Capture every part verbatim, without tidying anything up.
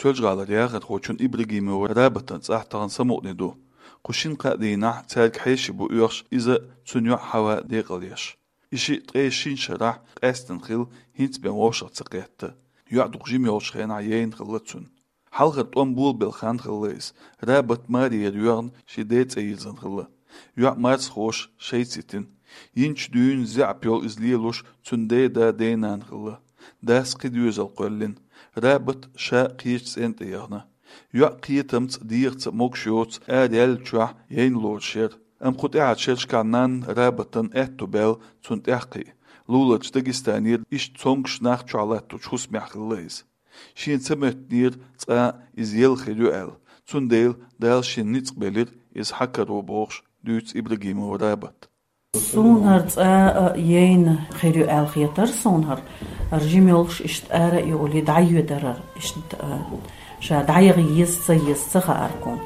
Пелжгӏалара яхархочун Ибрагимова Рабатан цӏахь тахан самукъане ду. Кху шин-кхаа дийнахь цаьрга хьеший бу оьхуш иза, цуьнан йоӏ Хьава декъалъеш. И шиъ ткъе шин шарахь къаьстина хилла, хӏинца бен вовшах ца кхетта. Йоӏ дукха жима йолчу хенахь яйна хилла цуьнан. Хьалхара тӏом болабелла хан хилла иза. Рабат марера йоьгӏна шен ден цӏе йирзина хилла. Йоӏ марсхоша шайца йитина. Йинчу дуьйна заьӏап йолу иза лелош цуьнан ден да, ден нана хилла. Дас кхин доьзал кхоьллина. Рабат ша кхечу цӏенна тӏе яхана. Йоӏ кхетамца а, дегӏаца а могуш йоцу ара яьллачохь яйна лоруш яра. Амма кху тӏаьхьарчу шерашкахь нанна Рабатан аьтту баьлла цунна тӏаьхьакхиа. Луларчу Дагестанера иштта цомгуш нах чохь латточу хӏусамехь хилла иза. Шена ца моьттинера цкъа иза елла хир ю аьлла. Цундела Дала шена ницкъ белира иза хьакаро бохуш, дуьйцу Ибрагимова Рабата. Суна хӀара цкъа а яйна хир ю аьлла хетара суна хӀара. ХӀара жима йолуш иштта ара а йолий, дӀайоьдара хӀара, иштта, а, ша дӀаяха еза, ца еза, ца хаьара кхунна.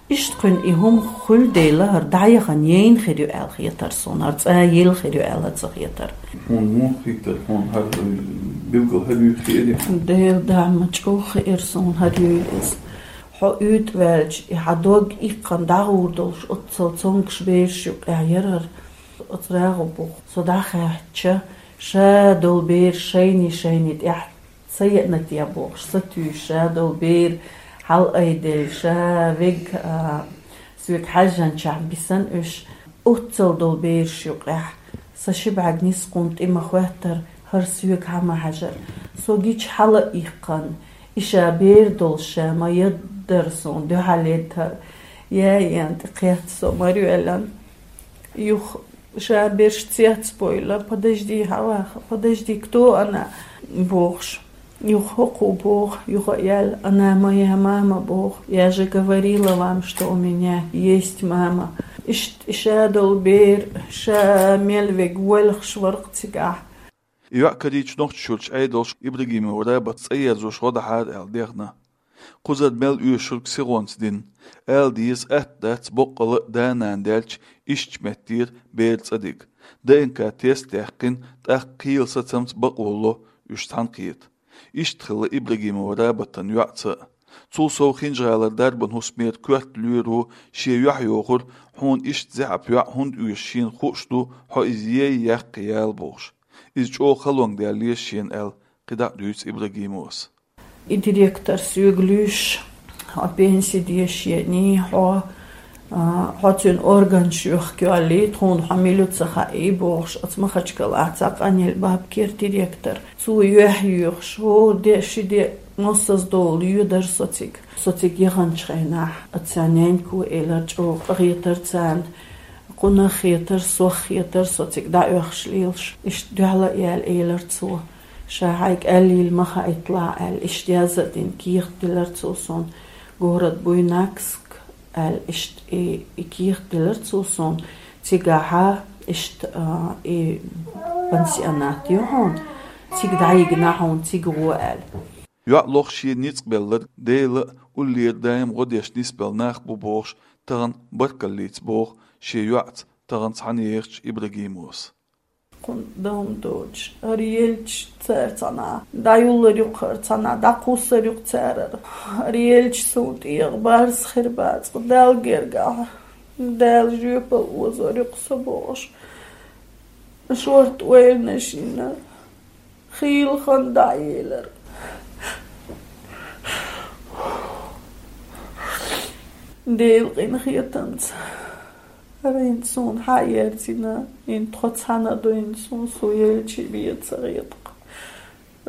Иштта кхуьнан и хӀума хуьлу дела, хӀара дӀаяхана яйна хир ю аьлла хетара суна, хӀара цкъа а елла хир ю аьлла ца хетара. Хьуна муха хийтара, хьуна хӀара билггал хӀара юьйхира? Дела дама, чӀогӀа хиира суна хӀара юйла иза. Хьо уьйтӀа ваьлча, и хьан дог иккхана дӀагӀур долуш, оццал цомгуш бераш юкъехь яра хӀара. Оцу рагӀу буху со дӀахаьттича, ша долу бер шайний-шайний тӀехь ца еана те бохуш, сатуьйсуш, ша долу бер хьалаайделла, ша вега, а, соьга хьаьжжинчохь бисина уьш, оццал долу бераш юкъехь, сан ши бӀаьрг нисса кхунна тӀе ма хӀоьттара, хӀара соьга хьа ма хьаьжара. Со гича хьала а иккхана, и ша бер долуш ша ма яддара суна дуьхьал едда хӀара. Яй, ян тӀе кхетта со мара йоьллина. Юха ша берш цецбойла: «Подожди, Хьава, подожди, кто она?» — бохуш. Юха хӀокхо боху, юха а яьлла: «Она моя мама», — боху. «Я же говорила вам, что у меня есть мама». Иштта ша долу бер, ша мел вега воьлхуш вара-кх цигахь. И йоӀ карийча Нохчийчуьрчу Ӏедалша Ибрагимова Рабат цӀа ерзош гӀо дахьара аьлла дехна. Кхузара мел оьшург сихонца дина. Ала деза, атта дац боккъала а да-нана даьлча ишттачу меттера бер цӀа дига. ДНК-тест а яьккхина, тӀаккха кхелан сацамца бакъо ло уьш цхьаьна кхета. Иштта хилла Ибрагимова Рабатан йоӀца а. Цул сов ХинжгӀалара дарбан хӀусамера коьрта лоьро шен юьхь йохура, хьуна иштта заьӀап йоӀ хӀунда оьшу шена хууш ду, хьо иза ей, яккхий яла бохуш. Иза чӀогӀа халонга даьлла еза шена аьлла, кхидӀа а дуьйцу Ибрагимовас. И директор соьга луьйш: «Хьо пенси деш еаний, хьо, а, хьо цуьнан органаш юхкийоллий, тхуна хьо мила ю ца хаьий», — бохуш, оцу Махачкалахь цхьа къанъелла бабкера директор. Цо юьхь йоьхуш: «ХӀора де, ши де, массаза долу йоьдар со цига». Со цига яханчу хенахь, оцу нянько элира, чӀогӀа къахетара царна, кхунах хетара, сох хетара, со цига дӀаоьхуш лелаш. Иштта дуьхьал а яьлла элира цо: «Ша хьайга аьллийла ма хаийталахь», — аьлла, иштта яз а дина, кехат дилира цо суна: «Город Буйнакск», — аьлла, иштта и, и кехат дилира цо суна. Цигахьа иштта, а, и пансионат ю хьуна, цига дӀайигна хьуна, цига гӀо аьлла. ЙоӀ лох шен ницкъ белларг Дела а, уллера даим гӀо деш нисбелла нах бу бохуш, тахана баркаллица боху шен йоӀца тахана цхьаьна ехачу Ибрагимовас. Кхунна дан доцуш, хӀара елча цара цхьаьна дӀаюллар ю-кх, хӀара цхьаьна дӀакхуссар ю-кх цара хӀара. ХӀара елча суна тӀера барз хир бац-кх Далла гергахь. Дала жоьпалла озор ю-кх со бохуш. Шорта ойла шина. Хийла хан дӀаелира. Делан къинхетамца хӀара хӀинца суна хьаерзийна, хӀинца тхо цхьаьна дуьйна суна, со елча бен ца хета-кх.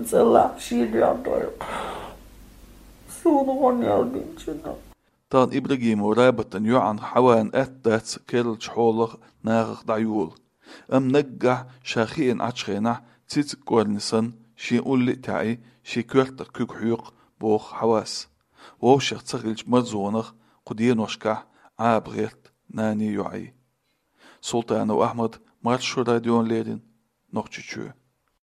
ЦӀа лахь шен дуьхьа дойла-кх. Суна гӀо мел динчунна. Тахана Ибрагимова Рабатан йоӀан Хьаван атта дац керлачу хьолах, нахах дӀайола. Амма наггахь ша хиъна Ӏачу хенахь, цициг кӀорни санна, шен улле а таьӀий, шен коьртах куьг хьоькху, боху Хьавас. Вовшех ца хилча марзонах кху деношкахь Ӏаба гӀерта наний, йоӀий. Султанов Ахьмад, Маршо радиона леррина, Нохчийчоь.